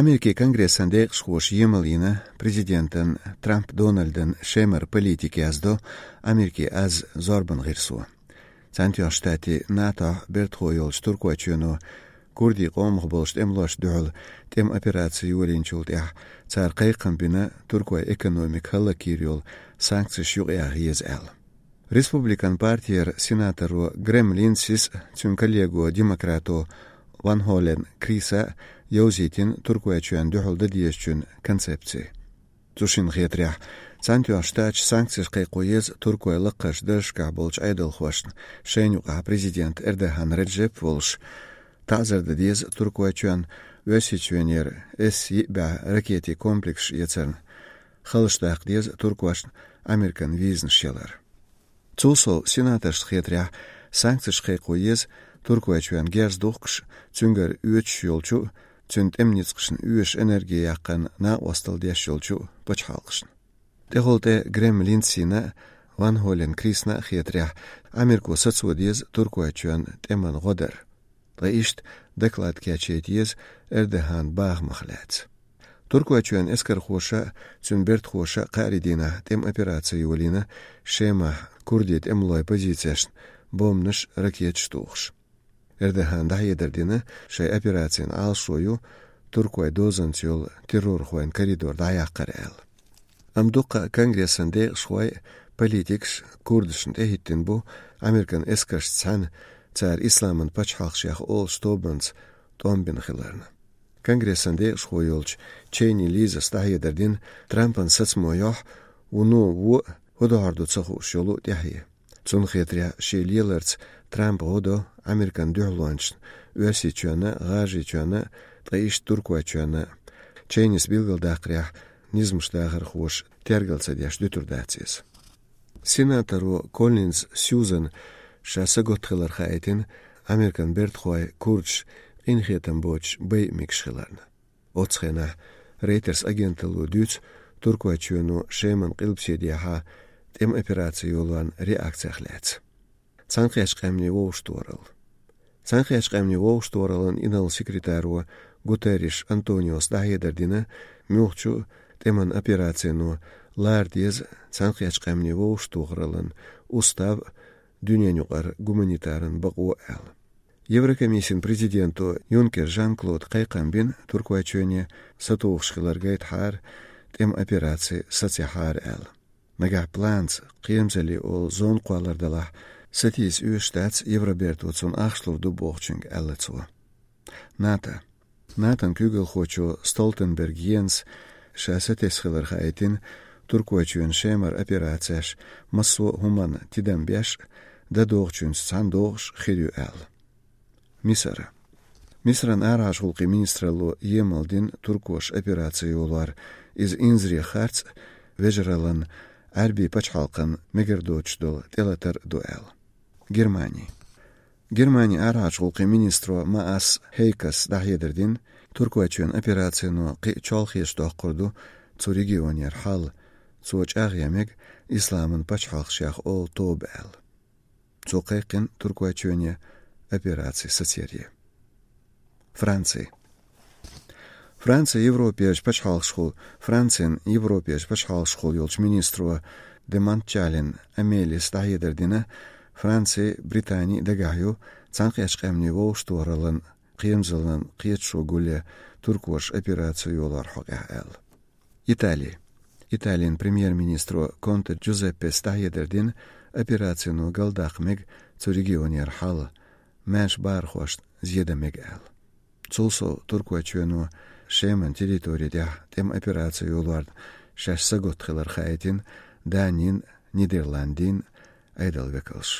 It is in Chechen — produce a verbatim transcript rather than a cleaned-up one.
Америкин Конгрессан декъашхоша емал йина президентан Трамп Дональдан Шемара политика, яздо «Америкин аз» зорбан гӀирсо. Цхьаьнатоьхначу Штатийн, НАТО-н бертахо йолчу Туркойчоьно курдийн къомах болчу тӀемалошна дуьхьал тӀеман операци йолийначул тӀаьхьа цара кхайкхам бина Туркойн экономика хӀаллакйийр йолу санкцеш юкъаяха еза аьлла. Республикан партера сенаторо Грэм Линдсис а, цуьнан коллего-демократо Ван Холен Криса а йовзийтина Туркойчоьнна дуьхьал дан дезачун концепци. Цу шинна хетарехь, Цхьаьнатоьхначу Штаташа санкцеш кхайкхо еза Туркойн лакхарчу даржашкахь болчу Ӏедалхошна, шайна юкъахь президент Эрдоган Реджеп волуш, таӀзар дан деза Туркойчоьнна Оьрсийчоьнера С йиъ бӀе ракетийн комплекс эцарна, халлаш даккха деза туркошна Американ визанаш ялар. Цул сов, сенаторшна хетарехь, санкцеш кхайкхо еза Туркойчоьнна герз духкуш, цуьнгара оьцуш йолчу а, цуьнан тӀеман ницкъашна оьшуш энерги яккхарна накъосталла деш йолчу а пачхьалкхашна. ТӀехула тӀе Грэм Линдсина а, Ван Холен Крисна а хетарехь, Америко сацо деза Туркойчоьнна тӀеман гӀо дар. Ткъа иштта доклад кечъяйта еза Эрдоганан бахамах лаьцна. Туркойчоьнан эскархоша а, цуьнан бертахоша а кхаарин дийнахь тӀеман операци йолийна Шемахь курдийн тӀемалойн позицешна бомбанаш а, ракеташ а тухуш. Эрдогана дӀахьедар дина, шайн операцин Ӏалашо ю Туркойн дозанца йолу террорхойн коридор дӀаяккхар аьлла. Амма дуккха а Конгрессан декъашхой а, политикаш а курдашна тӀехӀиттина бу Американ эскаршца цхьаьна цара Исламан пачхьалкх шех олуш тобанца тӀом бина хиларна. Конгрессан декъашхо йолчу Чейни Лизас дӀахьедар дина, Трампан сацамо йохь вуно вон а хӀун дохьур ду ца хууш йолу тӀаьхье. Цунна хетарехь, шен леларца Трампа гӀо до Американ дуьхьалончашна, Оьрсийчоьнна а, ГӀажарийчоьнна а, ткъа иштта Туркойчоьнна а. Чейнис билгалдаккхарехь, низамаш дахархоша тергал ца деш дуьтур дац иза. Сенаторо Коллинз Сьюзана ша саготта хилар хаийтина Американ бертахой курдаш къинхетам боцуш байъа мегаш хиларна. Оццу хенахь Reuters агенталло дуьйцу Туркойчоьно Шеман къилбаседехьа тӀеман операци йолорна реакцех лаьцна. Цхьаьнакхеттачу Къаьмнийн Вовшахтохаралла. Цхьаьнакхеттачу Къаьмнийн Вовшахтохараллин инарла секретаро Гутерриш Антониос дӀахьедар дина, муьлххачу а тӀеман операцино лара деза Цхьаьнакхеттачу Къаьмнийн Вовшахтохараллин устав а, дуьненаюкъара гуманитаран бакъо а аьлла. Еврокомиссин президенто Юнкер Жан-Клода кхайкхам бина Туркойчоьне, сатухуш хилар гайтахьара, тӀеман операци сацаяхьара аьлла. Нагахь планца кхерамзаллин олу зона кхоллар далахь, сатийса оьшуш дац Евроберто цунна ахча лур ду бохучуьнга, аьлла цо. НАТО. НАТОн куьйгалхочо Столтенберг Йенса ша сатесна хилар хаийтина, Туркойчоьнан Шемара операцеш массо а хӀуманна тидам беш, дан догӀучуьнца цхьаьна догӀуш хир ю аьлла. Мисар. Мисран арахьарчу гӀуллакхийн министралло емал дина туркоша операци йолор, иза инзаре харц а, вежараллин Ӏаьрбийн пачхьалкхан мегар доцуш долу тӀелатар а ду аьлла. Германи. Германин арахьарчу гӀуллакхийн министро Маас Хейкас дӀахьедар дина, Туркойчоьнан операцино кхин а чолхечу доккхур ду цу регионера хьал, цо чӀагӀъян мега Исламан пачхьалкх шех олу тоба аьлла. Цо кхайкхина Туркойчоьне операци сацаре. Франци. Францин Европерчу пачхьалкхашхула, Францин Европерчу пачхьалкхашхула йолчу министро де Монтчален Амелис дӀахьедар дина, Франци, Британи дагахь ю Цхьаьнакхеттачу Къаьмнийн Вовшахтохараллин кхерамзаллин кхеташо гулъян туркоша операци йолор хьокъехь аьлла. Итали. Италин премьер-министро Конте Джузеппес дӀахьедар дина, операцино галдаккха мега цу регионера хьал, маьрша бахархошна зен дан мега аьлла. Цул сов, Туркойчоьно Шеман территори тӀехь тӀеман операци йолорна шаьш саготта хилар хаийтина Данин, Нидерландийн Ӏедалан векалш.